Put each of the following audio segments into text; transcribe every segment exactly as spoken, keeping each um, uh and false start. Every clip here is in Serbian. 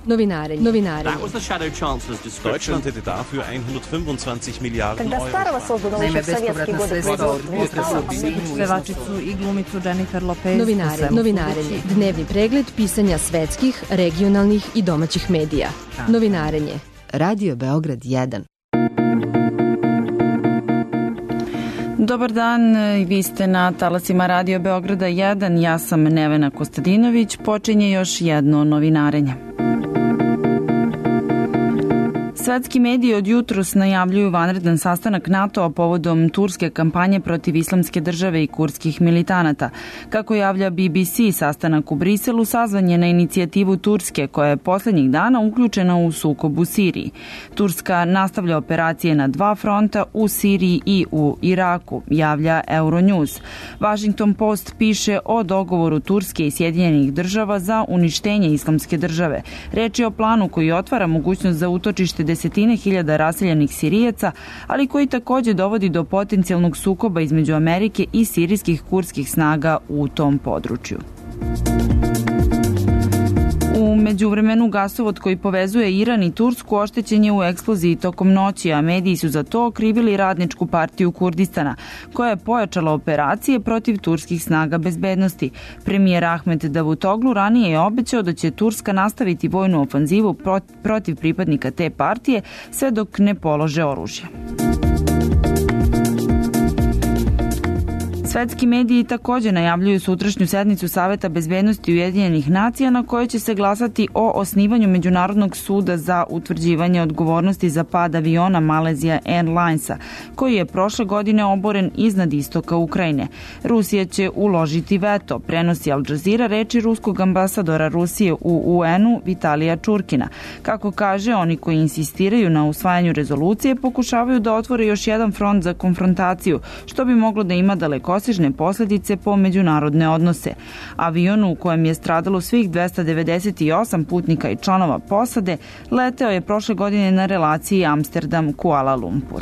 Novinarenje. Novinarenje. Deutschland hätte dafür hundertfünfundzwanzig Milliarden Когда старого созданного еще в советские годы производства. Pevačicu i glumicu Jennifer Lopez. Novinarenje. Novinarenje. Dnevni pregled pisanja svetskih, regionalnih i domaćih medija. Novinarenje. Radio Beograd jedan. Dobar dan, vi ste na talasima Radio Beograda jedan, ja sam Nevena Kostadinović, počinje još jedno novinarenje. Svetski mediji od jutros najavljuju vanredan sastanak NATO-a povodom turske kampanje protiv islamske države i kurdskih militanata. Kako javlja B B C, sastanak u Briselu sazvan je na inicijativu Turske, koja je poslednjih dana uključena u sukob u Siriji. Turska nastavlja operacije na dva fronta, u Siriji i u Iraku, javlja Euronews. Washington Post piše o dogovoru Turske i Sjedinjenih država za uništenje islamske države. Reč je o planu koji otvara mogućnost za utočište desetine hiljada raseljenih Sirijaca, ali koji takođe dovodi do potencijalnog sukoba između Amerike i sirijskih kurdskih snaga u tom području. U međuvremenu gasovod koji povezuje Iran i Tursku oštećen je u eksploziji tokom noći, a mediji su za to okrivili Radničku partiju Kurdistana, koja je pojačala operacije protiv turskih snaga bezbednosti. Premijer Ahmet Davutoglu ranije je obećao da će Turska nastaviti vojnu ofanzivu protiv pripadnika te partije sve dok ne polože oružje. Svetski mediji takođe najavljuju sutrašnju sednicu Saveta bezbednosti Ujedinjenih nacija na kojoj će se glasati o osnivanju Međunarodnog suda za utvrđivanje odgovornosti za pad aviona Malaysia Airlinesa, koji je prošle godine oboren iznad istoka Ukrajine. Rusija će uložiti veto, prenosi Al Jazeera reči ruskog ambasadora Rusije u U N-u Vitalija Čurkina. Kako kaže, oni koji insistiraju na usvajanju rezolucije pokušavaju da otvore još jedan front za konfrontaciju, što bi moglo da ima daleko posledice po međunarodne odnose. Avion u kojem je stradalo svih dvesta devedeset osam putnika i članova posade leteo je prošle godine na relaciji Amsterdam-Kuala Lumpur.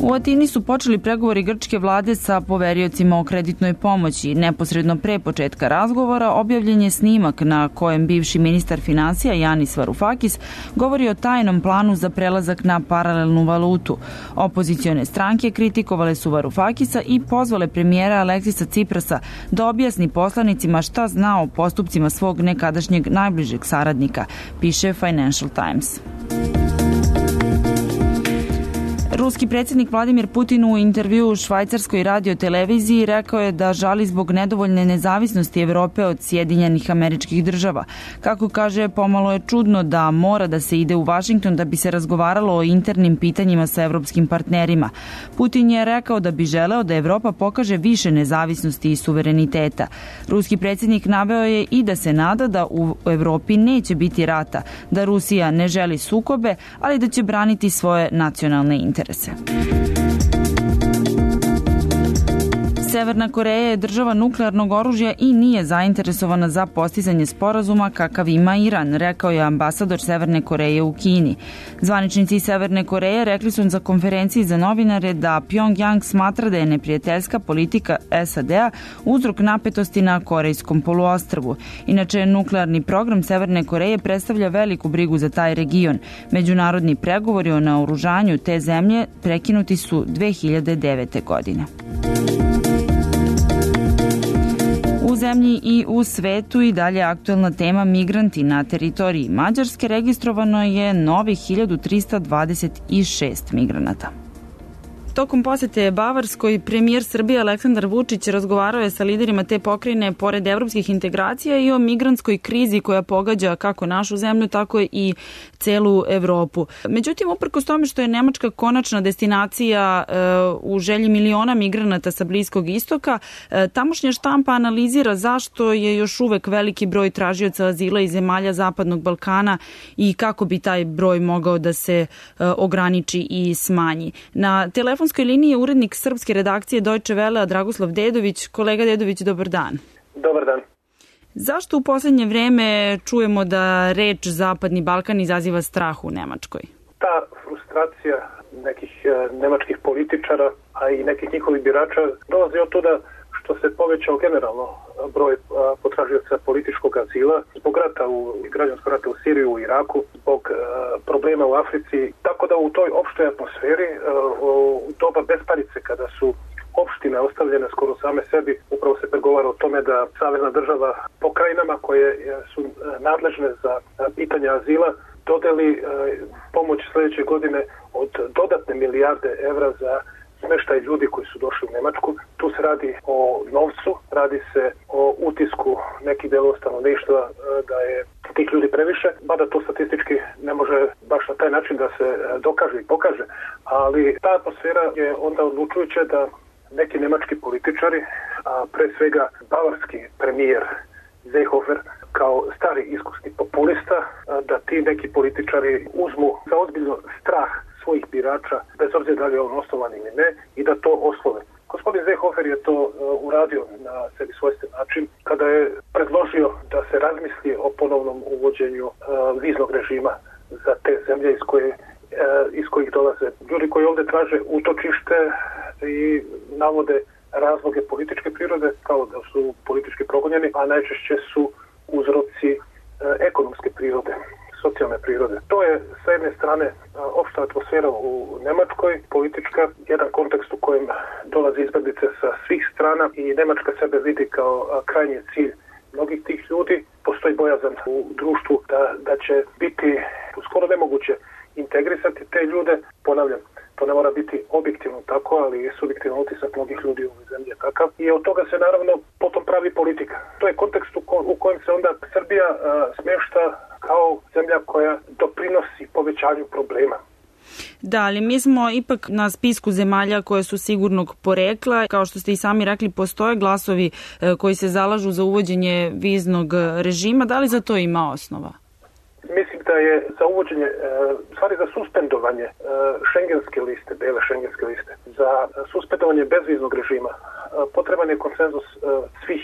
U Atini su počeli pregovori grčke vlade sa poveriocima o kreditnoj pomoći. Neposredno pre početka razgovora objavljen je snimak na kojem bivši ministar finansija Yanis Varoufakis govori o tajnom planu za prelazak na paralelnu valutu. Opozicione stranke kritikovale su Varoufakisa i pozvale premijera Aleksisa Ciprasa da objasni poslanicima šta zna o postupcima svog nekadašnjeg najbližeg saradnika, piše Financial Times. Ruski predsjednik Vladimir Putin u intervju u švajcarskoj radioteleviziji rekao je da žali zbog nedovoljne nezavisnosti Evrope od Sjedinjenih Američkih Država. Kako kaže, pomalo je čudno da mora da se ide u Vašington da bi se razgovaralo o internim pitanjima sa evropskim partnerima. Putin je rekao da bi želeo da Evropa pokaže više nezavisnosti i suvereniteta. Ruski predsjednik naveo je i da se nada da u Evropi neće biti rata, da Rusija ne želi sukobe, ali da će braniti svoje nacionalne interese. Severna Koreja je država nuklearnog oružja i nije zainteresovana za postizanje sporazuma kakav ima Iran, rekao je ambasador Severne Koreje u Kini. Zvaničnici Severne Koreje rekli su za konferenciji za novinare da Pyongyang smatra da je neprijateljska politika S A D-a uzrok napetosti na Korejskom poluostrvu. Inače, nuklearni program Severne Koreje predstavlja veliku brigu za taj region. Međunarodni pregovori o naoružanju te zemlje prekinuti su dve hiljade devete. godine. U zemlji i u svetu i dalje aktuelna tema migranti na teritoriji Mađarske. Registrovano je novih hiljadu trista dvadeset šest migranata. Tokom posete Bavarskoj, premijer Srbije Aleksandar Vučić razgovarao je sa liderima te pokrajine pored evropskih integracija i o migrantskoj krizi koja pogađa kako našu zemlju, tako i celu Evropu. Međutim, uprkos tome što je Nemačka konačna destinacija e, u želji miliona migranata sa Bliskog istoka, e, tamošnja štampa analizira zašto je još uvek veliki broj tražioca azila iz zemalja Zapadnog Balkana i kako bi taj broj mogao da se e, ograniči i smanji. Na telefon Na telefonskoj liniji je urednik srpske redakcije Deutsche Welle Dragoslav Dedović. Kolega Dedović, dobar dan. Dobar dan. Zašto u poslednje vreme čujemo da reč Zapadni Balkan izaziva strah u Nemačkoj? Ta frustracija nekih nemačkih političara, a i nekih njihovih birača dolazi od toga što se povećao generalno broj potražioca političkog azila zbog rata u građanskog rata u Siriju, u Iraku, zbog problema u Africi. Tako da u toj opštoj atmosferi, u doba besparice kada su opštine ostavljene skoro same sebi, upravo se pregovara o tome da savezna država pokrajinama koje su nadležne za pitanja azila dodeli pomoć sljedeće godine od dodatne milijarde evra za smeštaj ljudi koji su došli u Nemačku. Tu se radi o novcu, radi se o utisku nekih delova stanovništva da je tih ljudi previše, mada to statistički ne može baš na taj način da se dokaže i pokaže, ali ta atmosfera je onda odlučujuća da neki nemački političari, a pre svega bavarski premijer Seehofer kao stari iskusni populista, da ti neki političari uzmu za ozbiljno strah svojih birača, bez obzira da li je on osnovan ili ne, i da to oslove. Gospodin Seehofer je to uh, uradio na sebi svojstven način kada je predložio da se razmisli o ponovnom uvođenju uh, viznog režima za te zemlje iz, koje, uh, iz kojih dolaze ljudi koji ovdje traže utočište i navode razloge političke prirode, kao da su politički progonjeni, a najčešće su uzroci uh, ekonomske prirode, socijalne prirode. To je s jedne strane opšta atmosfera u Nemačkoj, politička, jedan kontekst u kojem dolazi izbjeglice sa svih strana i Nemačka sebe vidi kao krajnji cilj mnogih tih ljudi. Postoji bojazan u društvu da, da će biti skoro nemoguće integrisati te ljude. Ponavljam, to ne mora biti objektivno tako, ali je subjektivan utisak mnogih ljudi u ovoj zemlji je takav. I od toga se naravno potom pravi politika. To je kontekst u, ko, u kojem se onda Srbija a, smješta kao zemlja koja doprinosi povećanju problema. Da, ali mi smo ipak na spisku zemalja koje su sigurnog porekla. Kao što ste i sami rekli, postoje glasovi koji se zalažu za uvođenje viznog režima. Da li za to ima osnova? Mislim da je za uvođenje, stvari za suspendovanje šengenske liste, bele šengenske liste, za suspendovanje bezviznog režima potreban je konsenzus svih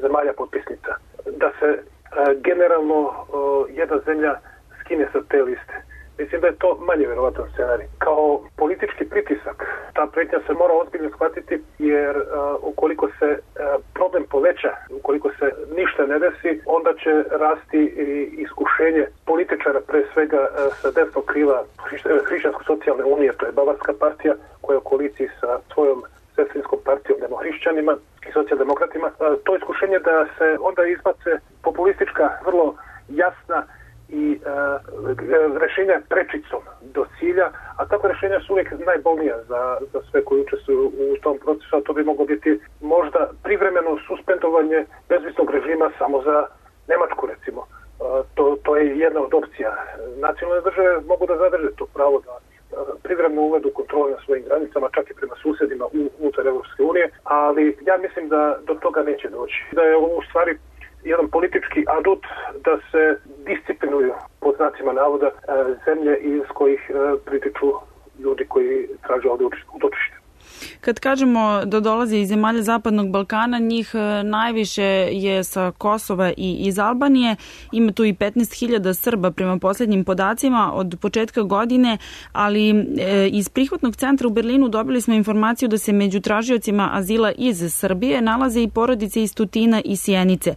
zemalja potpisnica. Da se generalno jedna zemlja skine sa te liste. Mislim da je to manje vjerovatan scenarij. Kao politički pritisak, ta prijetnja se mora ozbiljno shvatiti, jer uh, ukoliko se uh, problem poveća, ukoliko se ništa ne desi, onda će rasti i iskušenje političara, pre svega uh, sa desnog krila Hrišćansko-socijalne unije, to je Bavarska partija, koja je u koaliciji sa svojom sestrinskom partijom demohrišćanima i socijaldemokratima. Uh, to iskušenje da se onda izbace populistička, vrlo jasna i uh, rješenja prečicom do cilja, a takva rješenja su uvijek najbolnija za, za sve koji učestvuju u tom procesu, a to bi moglo biti možda privremeno suspendovanje bezviznog režima samo za Nemačku, recimo. Uh, to, to je jedna od opcija. Nacionalne države mogu da zadrže to pravo da privremeno uvedu kontrole na svojim granicama, čak i prema susjedima unutar Evropske unije, ali ja mislim da do toga neće doći. Da je ovo u stvari jedan politički adut da se disciplinuju, pod znacima navoda, zemlje iz kojih pritiču ljudi koji traže ovdje utočište. Kad kažemo da dolaze iz zemalja Zapadnog Balkana, njih najviše je sa Kosova i iz Albanije. Ima tu i petnaest hiljada Srba prema posljednjim podacima od početka godine, ali e, iz prihvatnog centra u Berlinu dobili smo informaciju da se među tražiocima azila iz Srbije nalaze i porodice iz Tutina i Sjenice, e,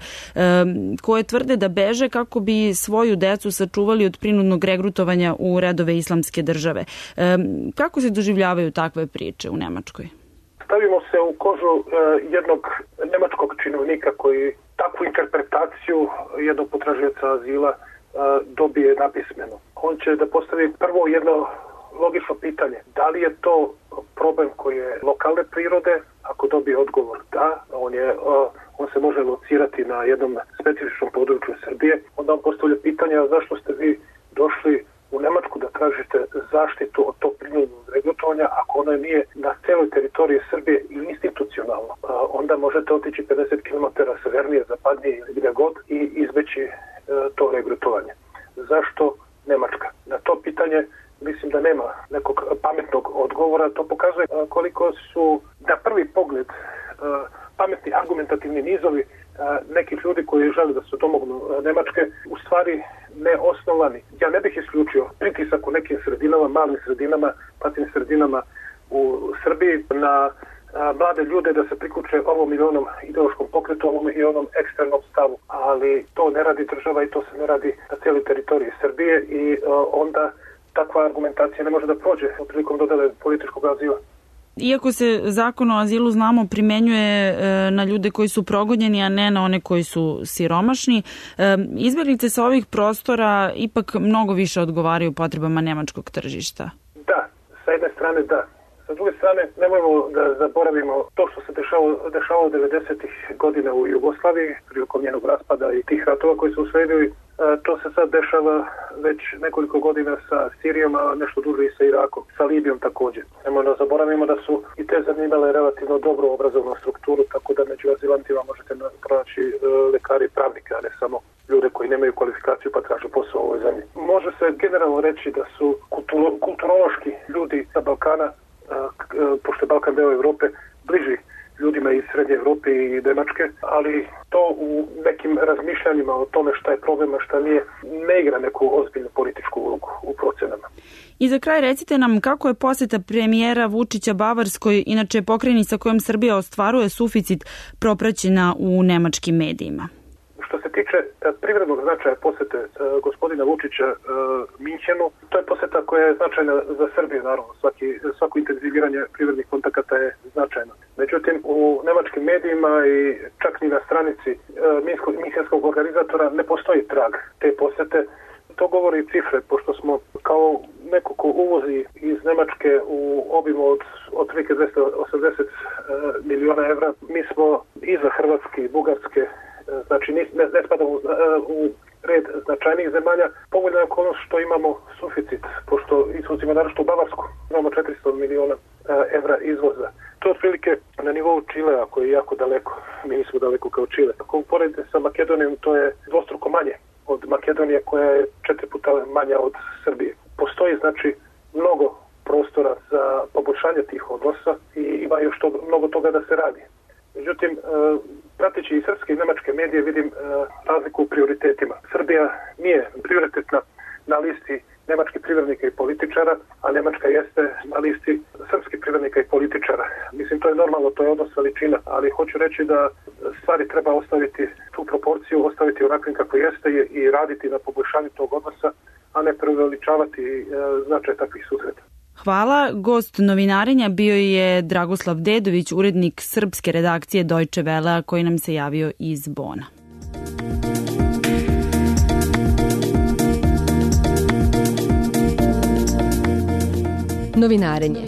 koje tvrde da beže kako bi svoju decu sačuvali od prinudnog regrutovanja u redove islamske države. E, kako se doživljavaju takve priče u Nemačkoj? Stavimo se u kožu uh, jednog nemačkog činovnika koji takvu interpretaciju jednog potražioca azila uh, dobije napismeno. On će da postavi prvo jedno logično pitanje. Da li je to problem koji je lokalne prirode? Ako dobije odgovor da, on, je, uh, on se može locirati na jednom specifičnom području Srbije. Onda on postavlja pitanje, a zašto ste vi došli u Nemačku da tražite zaštitu od tog prinudnog regrutovanja ako ona nije na celoj teritoriji Srbije i institucionalno. Onda možete otići pedeset kilometara severnije, zapadnije ili gdje god i izbeći to regrutovanje. Zašto Nemačka? Na to pitanje mislim da nema nekog pametnog odgovora. To pokazuje koliko su na prvi pogled pametni argumentativni nizovi nekih ljudi koji žele da se domognu Nemačke u stvari neosnovani. Ja ne bih isključio pritisak u nekim sredinama, malim sredinama, patnim sredinama u Srbiji na mlade ljude da se priključe ovom ili onom ideološkom pokretu, ovom i onom eksternom stavu. Ali to ne radi država i to se ne radi na cijeloj teritoriji Srbije i onda takva argumentacija ne može da prođe prilikom dodele političkog azila. Iako se zakon o azilu, znamo, primenjuje na ljude koji su progonjeni, a ne na one koji su siromašni, izbjeglice sa ovih prostora ipak mnogo više odgovaraju potrebama nemačkog tržišta. Da, sa jedne strane da. Sa druge strane, nemojmo da zaboravimo to što se dešavalo, dešavalo devedesetih godina u Jugoslaviji, prilikom njenog raspada i tih ratova koji su usledili. To se sad dešava već nekoliko godina sa Sirijom, a nešto duže i sa Irakom, sa Libijom također. Nemojmo da zaboravimo da su i te zanimale relativno dobro obrazovnu strukturu, tako da među azilantima možete pronaći lekari i pravnike, a ne samo ljude koji nemaju kvalifikaciju pa traže posao u ovoj zemlji. Može se generalno reći da su kulturo, kulturološki ljudi sa Balkana, pošto je Balkan deo Evrope, bliži ljudima iz Srednje Evrope i Nemačke, ali to u nekim razmišljanjima o tome šta je problem, a šta nije, ne igra neku ozbiljnu političku ulogu u procenama. I za kraj recite nam kako je posjeta premijera Vučića Bavarskoj, inače pokrajini sa kojom Srbija ostvaruje suficit, propraćena u nemačkim medijima. Što se tiče privrednog značaja posete uh, gospodina Vučića uh, Minhenu, to je poseta koja je značajna za Srbiju, naravno. Svaki, svako intenziviranje privrednih kontakata je značajno. Međutim, u nemačkim medijima i čak ni na stranici uh, minhenskog organizatora ne postoji trag te posete. To govori cifre, pošto smo kao neko ko uvozi iz Nemačke u obimu od otprilike dvesta osamdeset uh, miliona evra, mi smo iza Hrvatske i Bugarske. Znači ne, ne spadamo u, u red značajnijih zemalja. Povoljna je okolnost što imamo suficit, pošto izvozimo naročito u Bavarsku. Imamo četiristo miliona evra izvoza. To je otprilike na nivou Čilea koji je jako daleko. Mi nismo daleko kao Čile. Ako uporedite sa Makedonijom, to je dvostruko manje od Makedonije koja je četiri puta manja od Srbije. Postoji znači mnogo prostora za poboljšanje tih odnosa i ima još to, mnogo toga da se radi. Međutim, prateći i srpske i nemačke medije vidim razliku u prioritetima. Srbija nije prioritetna na listi nemačkih privrednika i političara, a Nemačka jeste na listi srpskih privrednika i političara. Mislim, to je normalno, to je odnos veličina, ali hoću reći da stvari treba ostaviti tu proporciju, ostaviti onakvim kako jeste i raditi na poboljšanju tog odnosa, a ne preveličavati značaj takvih susreta. Hvala. Gost novinarenja bio je Dragoslav Dedović, urednik srpske redakcije Deutsche Welle, koji nam se javio iz Bona. Novinarenje.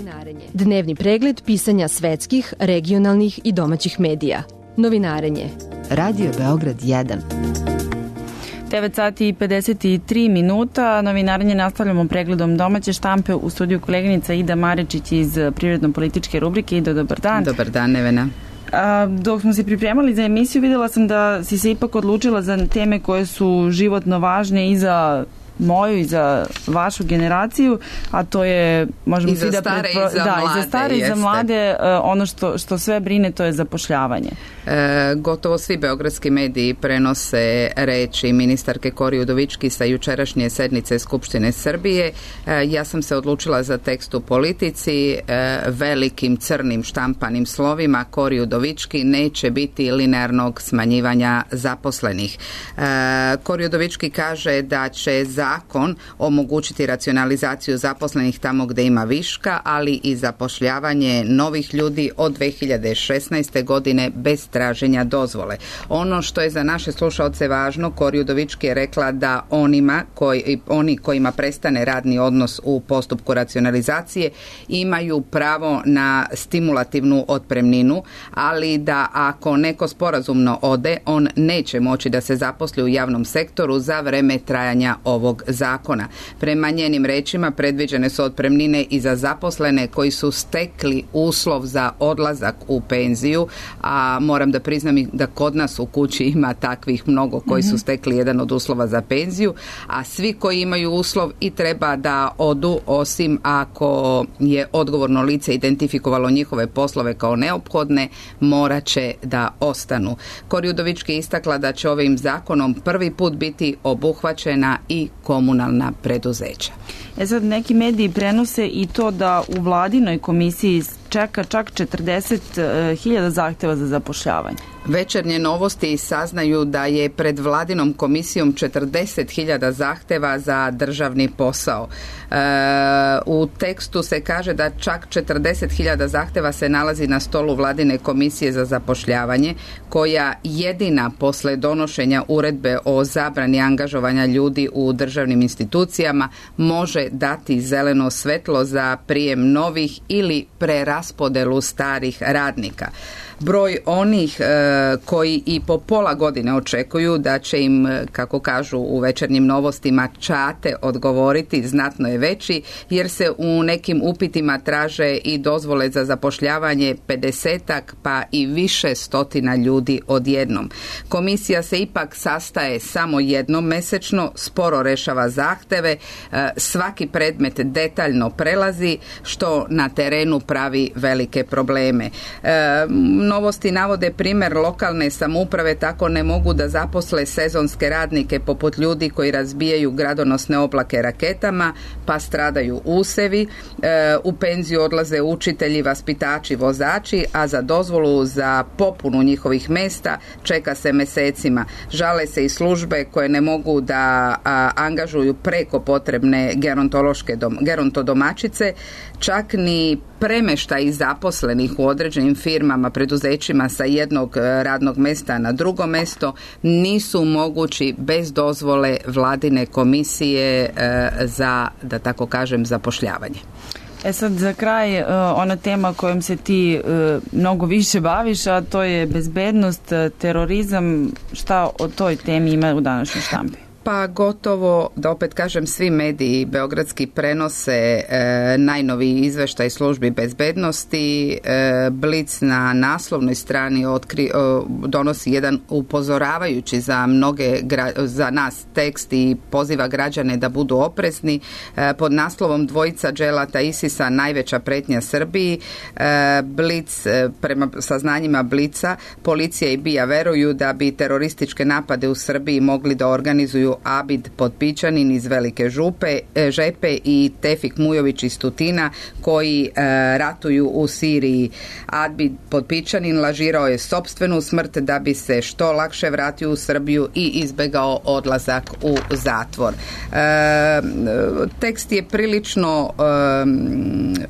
Dnevni pregled pisanja svetskih, regionalnih i domaćih medija. Novinarenje. Radio Beograd jedan. devet sati i pedeset tri minuta. Novinarenje nastavljamo pregledom domaće štampe. U studiju koleginica Ida Marečić iz privredno-političke rubrike. Ida, dobar dan. Dobar dan, Nevena. A, dok smo se pripremali za emisiju, vidjela sam da si se ipak odlučila za teme koje su životno važne i za moju i za vašu generaciju, a to je možemo I za da stare pretpo... i za da, mlade. I za stare i za mlade, ono što, što sve brine, to je zapošljavanje. E, gotovo svi beogradski mediji prenose reči ministarke Kori Udovički sa jučerašnje sednice Skupštine Srbije. E, ja sam se odlučila za tekst u Politici, e, velikim crnim štampanim slovima: Kori Udovički, neće biti linearnog smanjivanja zaposlenih. E, Kori Udovički kaže da će zakon omogućiti racionalizaciju zaposlenih tamo gde ima viška, ali i zapošljavanje novih ljudi od dve hiljade šesnaeste. godine bez traženja dozvole. Ono što je za naše slušaoce važno, Kori Udovički je rekla da onima koji, oni kojima prestane radni odnos u postupku racionalizacije imaju pravo na stimulativnu otpremninu, ali da ako neko sporazumno ode, on neće moći da se zaposli u javnom sektoru za vreme trajanja ovog zakona. Prema njenim rečima predviđene su otpremnine i za zaposlene koji su stekli uslov za odlazak u penziju, a moram da priznam da kod nas u kući ima takvih mnogo koji su stekli jedan od uslova za penziju, a svi koji imaju uslov i treba da odu, osim ako je odgovorno lice identifikovalo njihove poslove kao neophodne, morat će da ostanu. Kori Udovički je istakla da će ovim zakonom prvi put biti obuhvaćena i komunalna preduzeća. E sad, neki mediji prenose i to da u vladinoj komisiji čeka čak četrdeset hiljada zahteva za zapošljavanje. Večernje novosti saznaju da je pred vladinom komisijom četrdeset hiljada zahteva za državni posao. E, u tekstu se kaže da čak četrdeset hiljada zahteva se nalazi na stolu vladine komisije za zapošljavanje, koja jedina posle donošenja uredbe o zabrani angažovanja ljudi u državnim institucijama može dati zeleno svetlo za prijem novih ili preraspodelu starih radnika. Broj onih e, koji i po pola godine očekuju da će im, kako kažu u večernjim novostima, čate odgovoriti znatno je veći, jer se u nekim upitima traže i dozvole za zapošljavanje pedesetak pa i više stotina ljudi odjednom. Komisija se ipak sastaje samo jednom mesečno, sporo rešava zahteve, e, svaki predmet detaljno prelazi, što na terenu pravi velike probleme. E, Novosti navode primjer lokalne samouprave tako ne mogu da zaposle sezonske radnike poput ljudi koji razbijaju gradonosne oblake raketama, pa stradaju usevi, e, u penziju odlaze učitelji, vaspitači, vozači, a za dozvolu za popunu njihovih mesta čeka se mesecima. Žale se i službe koje ne mogu da a, angažuju preko potrebne gerontološke dom, gerontodomačice, čak ni premeštaj zaposlenih u određenim firmama, preduzećima sa jednog radnog mesta na drugo mesto nisu mogući bez dozvole vladine komisije e, za, da tako kažem, zapošljavanje. E sad za kraj ona tema kojom se ti mnogo više baviš, a to je bezbednost, terorizam. Šta o toj temi ima u današnjoj štampi? Pa gotovo, da opet kažem, svi mediji beogradski prenose e, najnoviji izveštaj službi bezbednosti. E, Blic na naslovnoj strani otkri, o, donosi jedan upozoravajući za mnoge za nas tekst i poziva građane da budu oprezni. E, pod naslovom Dvojica dželata Isisa najveća pretnja Srbiji. E, Blic, e, prema saznanjima Blica, policija i B I A veruju da bi terorističke napade u Srbiji mogli da organizuju Abid Potpičanin iz Velike župe, Žepe i Tefik Mujović iz Tutina, koji e, ratuju u Siriji. Abid Potpičanin lažirao je sopstvenu smrt da bi se što lakše vratio u Srbiju i izbegao odlazak u zatvor. E, tekst je prilično e,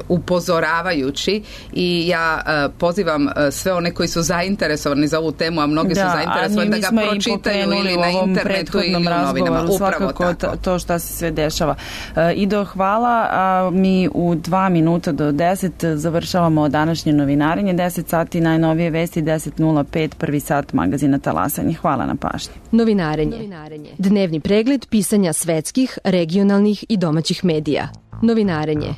upozoravajući i ja e, pozivam sve one koji su zainteresovani za ovu temu, a mnogi da, su zainteresovani da ga pročitaju ili na internetu ili u novinama. Svakako to. to šta se sve dešava. E, Ido, hvala. A mi u dva minuta do deset završavamo današnje novinarenje. deset sati najnovije vesti, deset nula pet prvi sat magazina Talasanje. Hvala na pažnji. Novinarenje. Novinarenje. Dnevni pregled pisanja svetskih, regionalnih i domaćih medija. Novinarenje.